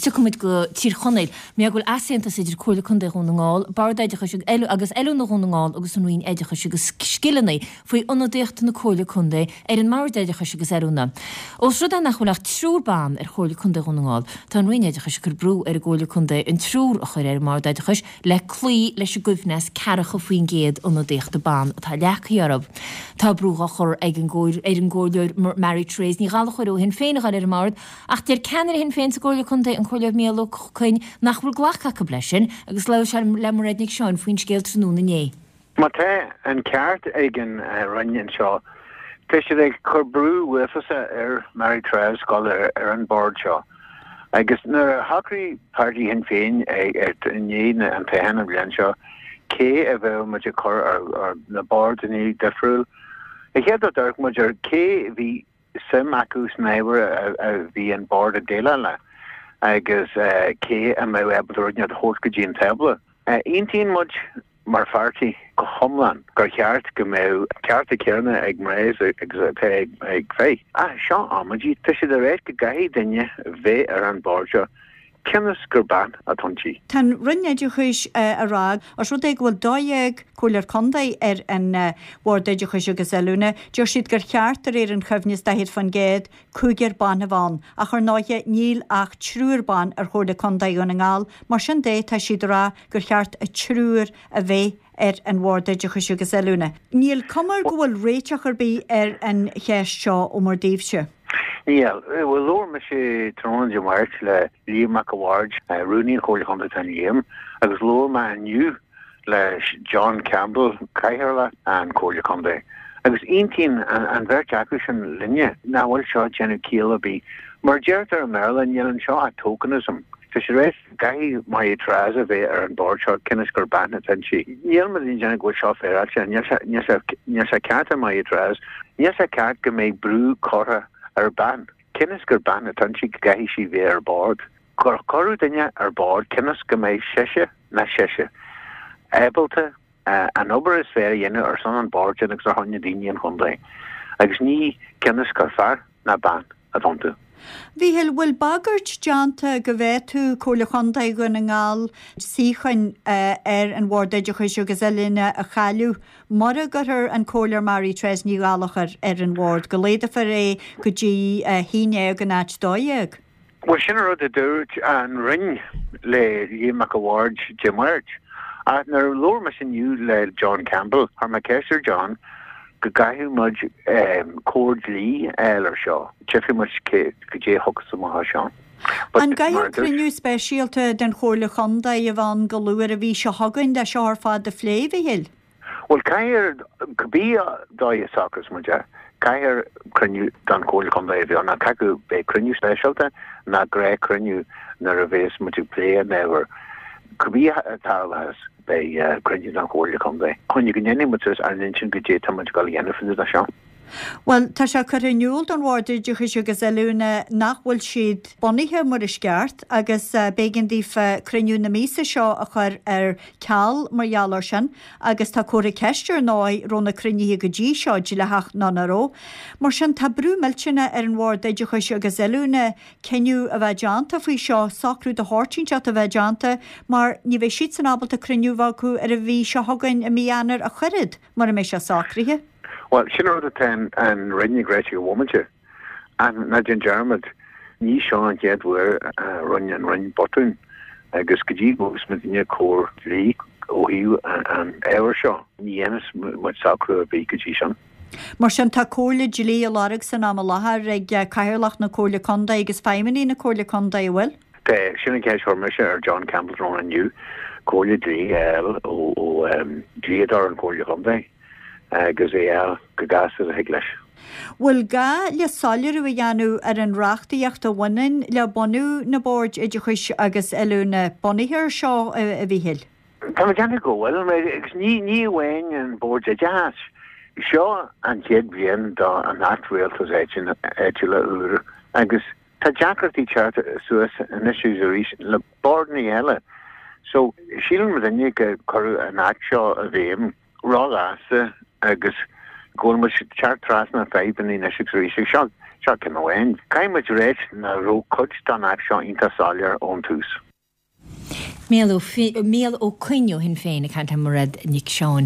tiocfaidh muid go Tír Chonaill. Mar go bhfuil easaontas idir Comhairle Contae Dhún na nGall, Bord Oideachais agus Oiliúna Dhún na nGall agus an Roinn Oideachais agus Scileanna faoi ionadaíocht na Comhairle Contae ar an mBord Oideachais agus Oiliúna. Ós rud é nach bhfuil ach triúr ban ar Chomhairle Contae Dhún na nGall, tá an Roinn Oideachais ag cur brú ar an gComhairle Contae an triúr a chur ar an mBord Oideachais le cloí leis an gcoibhneas 40% ionadaíochta ban atá leagtha orthu. Tá brú á chur ag an ar an gComhairleoir Mary Therese Ní Ghallchóir ó Shinn Féin a ghabháil ar an mbord ach deir ceannaire Shinn Féin sa gComhairle Contae, an Comhairleoir Mícheál Ó Coinn, nach bhfuil glactha acu leis sin agus labhair sé le Mairéad Nic Seáin faoin scéal tráthnóna inné. Má tá an ceart ag an Roinn anseo, tá siad ag cur brú uafásach ar Mary Therese dul ar an bord seo. Agus nuair a shocraigh páirtí Shinn Féin i ndiaidh an toghcháin an bhliain seo cé a bheadh muid ag cur ar na bordanna difriúil, an chéad rud d'amharc muid ar cé a bhí suim acu san ábhar a bhí an bord ag déileáil le agus cé a mbeadh ábalta rud inteacht a thabhairt go dtí an tábla. Aontaíonn muid mar pháirtí go hiomlán gur cheart go mbeadh cearta céanna ag mná agus atá ag fir. Ach seo amaidí, tá siad ag ráit go gcaithfidh duine bheith ar an bord seo cionn is gur bean atá inti. Tá an Roinn Oideachais a rá, os rud é go bhfuil 12 Comhairleoir Contae ar an Bhord Oideachais agus Oiliúna, deir siad gur cheart, de réir an choibhneas 40%, cúigear ban a bheith ann. Ach ar ndóighe, níl ach triúr ban ar Chomhairle Contae Dhún na nGall, mar sin de, tá siad a rá gur cheart a triúr a bheith ar an Bhord Oideachais agus Oiliúna. Níl cuma go bhfuil réiteach ar bith ar an cheist seo ó bhur dtaobhse. Níl. Bhuel, labhair mise tráthnóna Dé Máirt le Liam Mac a' Bhaird, Rúnaí an Chomhairle Chontae atá in Liam, agus labhair mé inniu le John Campbell, Cathaoirleach an Chomhairle Contae, agus aontaíonn an bheirt acu sin linne nach bhfuil seo ag déanamh ciall ar bith. Mar a deirtear i mBéarla, níl anseo ach tokenism. Tá siad ag rá go gcaithfidh Mary Therese a bheith ar an bord seo cionn is gur bean atá inti. Níl muid ag déanamh go bhfuil seo féaráilte, níl níl sé ceart ar Mary Therese, níl sé ceart go mbeidh brú curtha ar bean, cionn is gur bean atá inti go gcaithfidh sí bheith ar bord. Gur cuireadh duine ar bord cionn is go mbeidh sise ná seisean ábalta an obair is fearr a dhéanamh ar son an bhoird sin agus ar shon na daoine an chontae agus ní cionn is gur fear ná bean atá iontu. Mhíchíl, bhfuil bagairt déanta go bhféadfadh Comhairle Chontae Dhún na nGall suíocháin ar an Bhord Oideachais agus Oiliúna a chailleadh mura gcuirfear an Comhairleoir Mary Therese Ní Ghallchóir ar an bhord, go laghdófar é go dtí 11 in áit 12? Bhuel, sin an rud a dúirt an Roinn le Liam Mac a' Bhaird Dé Máirt. Ach nuair a labhair mise inniu le John Campbell, chuir mé ceist ar John go gcaithfidh muid comhairle dlí a fháil ar seo. Tchífidh muid goidé a thiocfas amach as seo. An gcaithfear cruinniú speisialta den Chomhairle Chontae a bheith ann go luath ar an mhí seo chugainn le seo ar fad a phlé, a Mhíchíl? Bhuel, caithfear, cibé dóigh a socrós muid é, caithfear cruinniú den Chomhairle Contae a bheith ann, caithfidh beidh cruinniú speisialta ná gnáthchruinniú nuair a bheas muid ag plé an ábhair. Cibé a tharlós, beidh cruinniú den Chomhairle Contae chun go ndéanfaidh muid suas ár n-intinn goidé atá muid ag dul a dhéanamh fá dtaobh de seo. Bhuel, tá sé curtha in iúl don Bhord Oideachais agus Oiliúna nach bhfuil siad bunaithe mar is ceart agus b'éigean daofa cruinniú na míosa seo a chur ar ceal mar gheall air sin agus tá comhartha ceiste ar ndóigh raibh na cruinnithe go dtí seo dleathach nó nach raibh. Mar sin tá brú millteanach ar an Bhord Oideachais agus Oiliúna cinneadh a bheith déanta faoi seo, socrú de shórt inteacht a bheith déanta mar ní bheidh siadsan ábalta cruinniú a bheith acu ar an mhí seo chugainn i mí Eanáir ach oiread mura mbeidh sé socraithe. Bhuel, sin an rud atá an Roinn ag ráit ag an bhomaite. Ach ná déan dearmad, ní seo an chéad uair a rinne an Roinn botún agus go dtí go bhfaighidh muidne comhairle dlí ó thaobh an ábhair seo, ní dhéanfas muid socrú ar bith go dtí sin. Mar sin, tá comhairle dlí á lorg san am i láthair ag Cathaoirleach na Comhairle Contae agus feidhmeannaigh na Comhairle Contae, an bhfuil? Tá, sin an cheist a chuir mise ar John Campbell tráthnóna inniu, comhairle dlí a fháil ó dhlíodóir an Chomhairle Chontae. agus é a fháil chomh gasta is a thig leis. Bhfuil gá le soiléiriú a dhéanamh ar an reachtaíocht a bhaineann le bunú na Boird Oideachais agus Oiliúna bunaithe ar seo, a Mhíchíl? Tá mé ag déanamh go bhfuil, agus ní amháin an Bord Oideachais. Seo an chéad bhliain do an Acht Rialtais Áitiúla úr agus tá deacrachtaí teacht suas anois agus arís le bordanna eile. So, síleann muidinne go cuireadh an Acht seo i bhfeidhm róghasta agus. Go bhfuil muid ag teacht trasna fadhbanna anois agus arís agus seo, seo ceann amháin. Caithfidh muid ráit nach raibh cuid den Acht seo iontach soiléir ón tús. Mícheál Ó Coinn ó Shinn Féin ag caint le Mairéad Nic Seáin.